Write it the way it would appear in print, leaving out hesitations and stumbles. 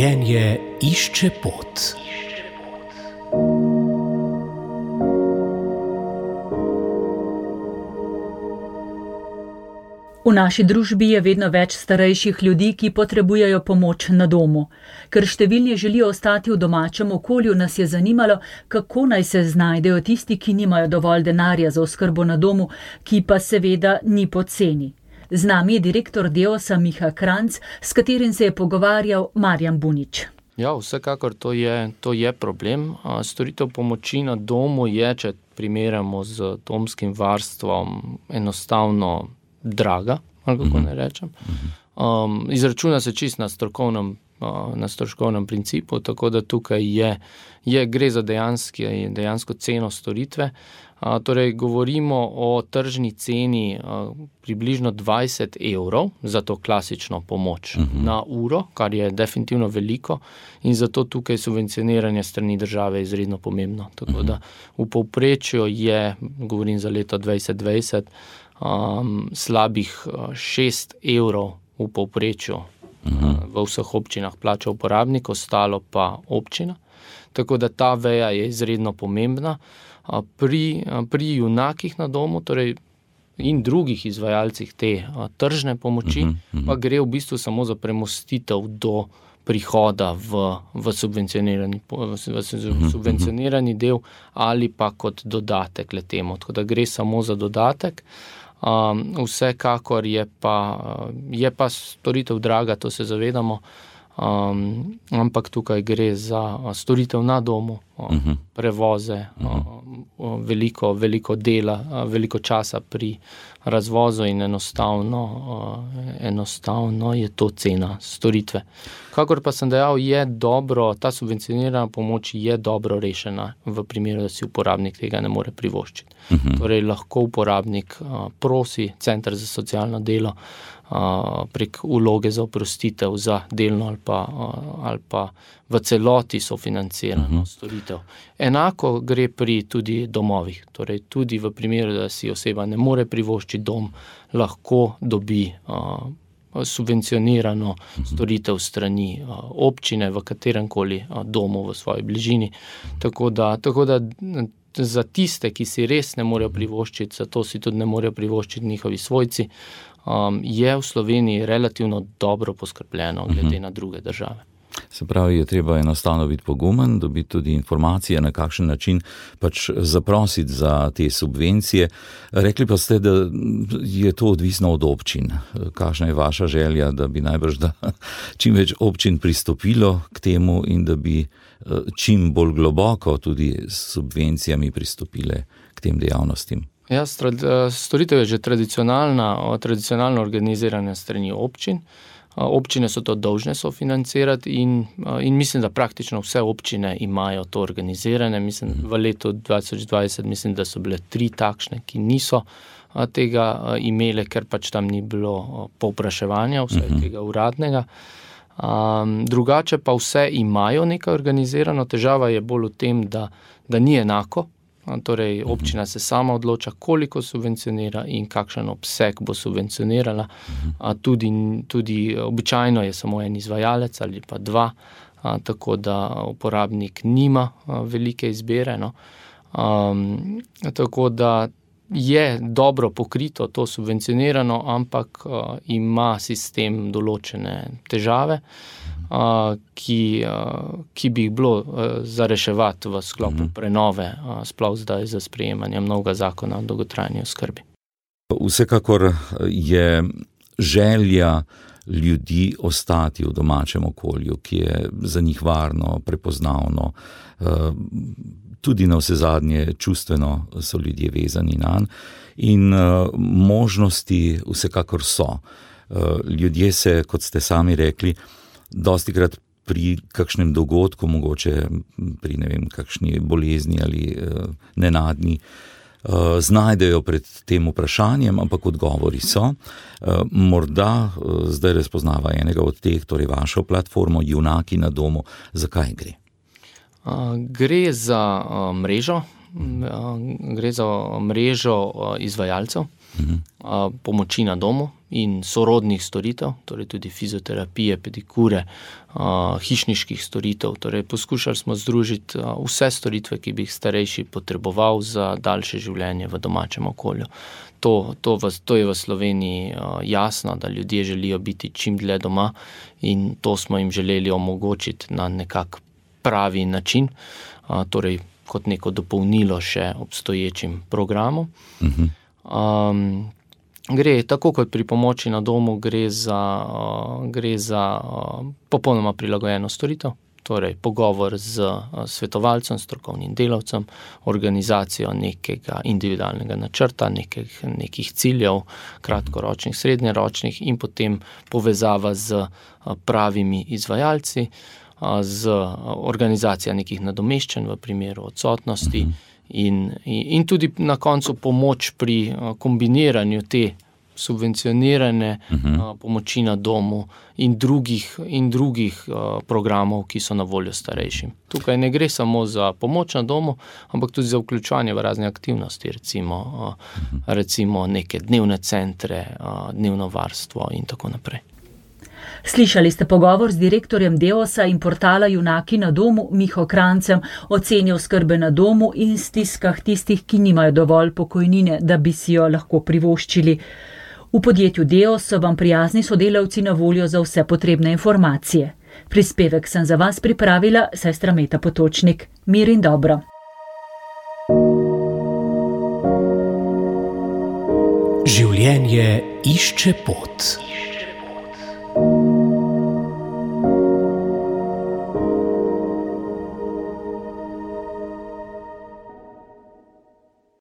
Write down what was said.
Življenje išče pot. V naši družbi je vedno več starejših ljudi, ki potrebujejo pomoč na domu. Ker številni želijo ostati v domačem okolju, nas je zanimalo, kako naj se znajdejo tisti, ki nimajo dovolj denarja za oskrbo na domu, ki pa seveda ni poceni. Z nami je direktor Deosa Miha Kranjc, s katerim se je pogovarjal Marjan Bunič. Ja, vsekakor to je problem. Storitev pomoči na domu je, če primerjamo z domskim varstvom, enostavno draga, ali kako ne rečem. Izračuna se čist na stroškovnem principu, tako da tukaj gre za dejansko ceno storitve. Torej, govorimo o tržni ceni približno 20 € za to klasično pomoč na uro, kar je definitivno veliko in zato tukaj subvencioniranje strani države izredno pomembno. Tako da v povprečju je, govorim za leto 2020, slabih 6 € v povprečju v vseh občinah plača uporabnik, ostalo pa občina. Tako da ta veja je izredno pomembna. Pri junakih na domu, torej in drugih izvajalcih te tržne pomoči, pa gre v bistvu samo za premostitev do prihoda v subvencionirani del ali pa kot dodatek le temu. Tako da gre samo za dodatek. Vsekakor je pa storitev draga, to se zavedamo, ampak tukaj gre za storitev na domu, prevoze, veliko dela, veliko časa pri razvozu in enostavno je to cena storitve. Kakor pa sem dejal, ta subvencionirana pomoč je dobro rešena v primeru, da si uporabnik tega ne more privoščiti. Torej lahko uporabnik prosi Center za socialno delo prek vloge za oprostitev za delno ali pa v celoti sofinancirano storitev. Enako gre pri tudi domovih. Torej tudi v primeru, da si oseba ne more privoščiti dom, lahko dobi subvencionirano storitev strani občine v kateremkoli domu v svoji bližini. Tako da za tiste, ki si res ne morejo privoščiti, zato si tudi ne morejo privoščiti njihovi svojci, je v Sloveniji relativno dobro poskrbljeno glede na druge države. Se pravi, je treba enostavno biti pogumen, dobiti tudi informacije, na kakšen način pač zaprositi za te subvencije. Rekli pa ste, da je to odvisno od občin. Kakšna je vaša želja, da bi najbrž čim več občin pristopilo k temu in da bi čim bolj globoko tudi s subvencijami pristopile k tem dejavnostim? Ja, storitev je že tradicionalno organizirana strani občin. Občine so to dolžne sofinancirati in mislim, da praktično vse občine imajo to organizirane. V letu 2020 mislim, da so bile 3 takšne, ki niso tega imele, ker pač tam ni bilo povpraševanja, vse tega uradnega. Drugače pa vse imajo nekaj organizirano. Težava je bolj v tem, da ni enako. Torej, občina se sama odloča, koliko subvencionira in kakšen obseg bo subvencionirala. Tudi običajno je samo en izvajalec ali pa 2, tako da uporabnik nima velike izbire. Tako da je dobro pokrito to subvencionirano, ampak ima sistem določene težave, ki bi jih bilo za reševati v sklopu prenove, sploh zdaj za sprejemanjem novega zakona o dolgotrajni oskrbi. Vsekakor je želja ljudi ostati v domačem okolju, ki je za njih varno, prepoznavno, tudi navsezadnje čustveno so ljudje vezani nanj in možnosti vsekakor so. Ljudje se, kot ste sami rekli, dostikrat pri kakšnem dogodku, mogoče pri kakšni bolezni ali nenadni, znajdejo pred tem vprašanjem, ampak odgovori so. Morda zdaj razpoznava enega od teh, torej vašo platformo Junaki na domu. Zakaj gre? Gre za mrežo izvajalcev pomoči na domu in sorodnih storitev, torej tudi fizioterapije, pedikure, hišniških storitev. Torej poskušali smo združiti vse storitve, ki bi jih starejši potreboval za daljše življenje v domačem okolju. To je v Sloveniji jasno, da ljudje želijo biti čim dlje doma in to smo jim želeli omogočiti na nekak pravi način, torej kot neko dopolnilo še obstoječim programom. Gre, tako kot pri pomoči na domu, gre za popolnoma prilagojeno storitev, torej pogovor z svetovalcem, strokovnim delavcem, organizacijo nekega individualnega načrta, nekih ciljev, kratkoročnih, srednjeročnih in potem povezava z pravimi izvajalci, z organizacijo nekih nadomeščanj v primeru odsotnosti in tudi na koncu pomoč pri kombiniranju te subvencionirane pomoči na domu in drugih programov, ki so na voljo starejšim. Tukaj ne gre samo za pomoč na domu, ampak tudi za vključevanje v razne aktivnosti, recimo neke dnevne centre, dnevno varstvo in tako naprej. Slišali ste pogovor z direktorjem Deosa in portala Junaki na domu Miho Krancem o ceni oskrbe na domu in stiskah tistih, ki nimajo dovolj pokojnine, da bi si jo lahko privoščili. V podjetju Deos so vam prijazni sodelavci na voljo za vse potrebne informacije. Prispevek sem za vas pripravila sestra Meta Potočnik. Mir in dobro. Življenje išče pot.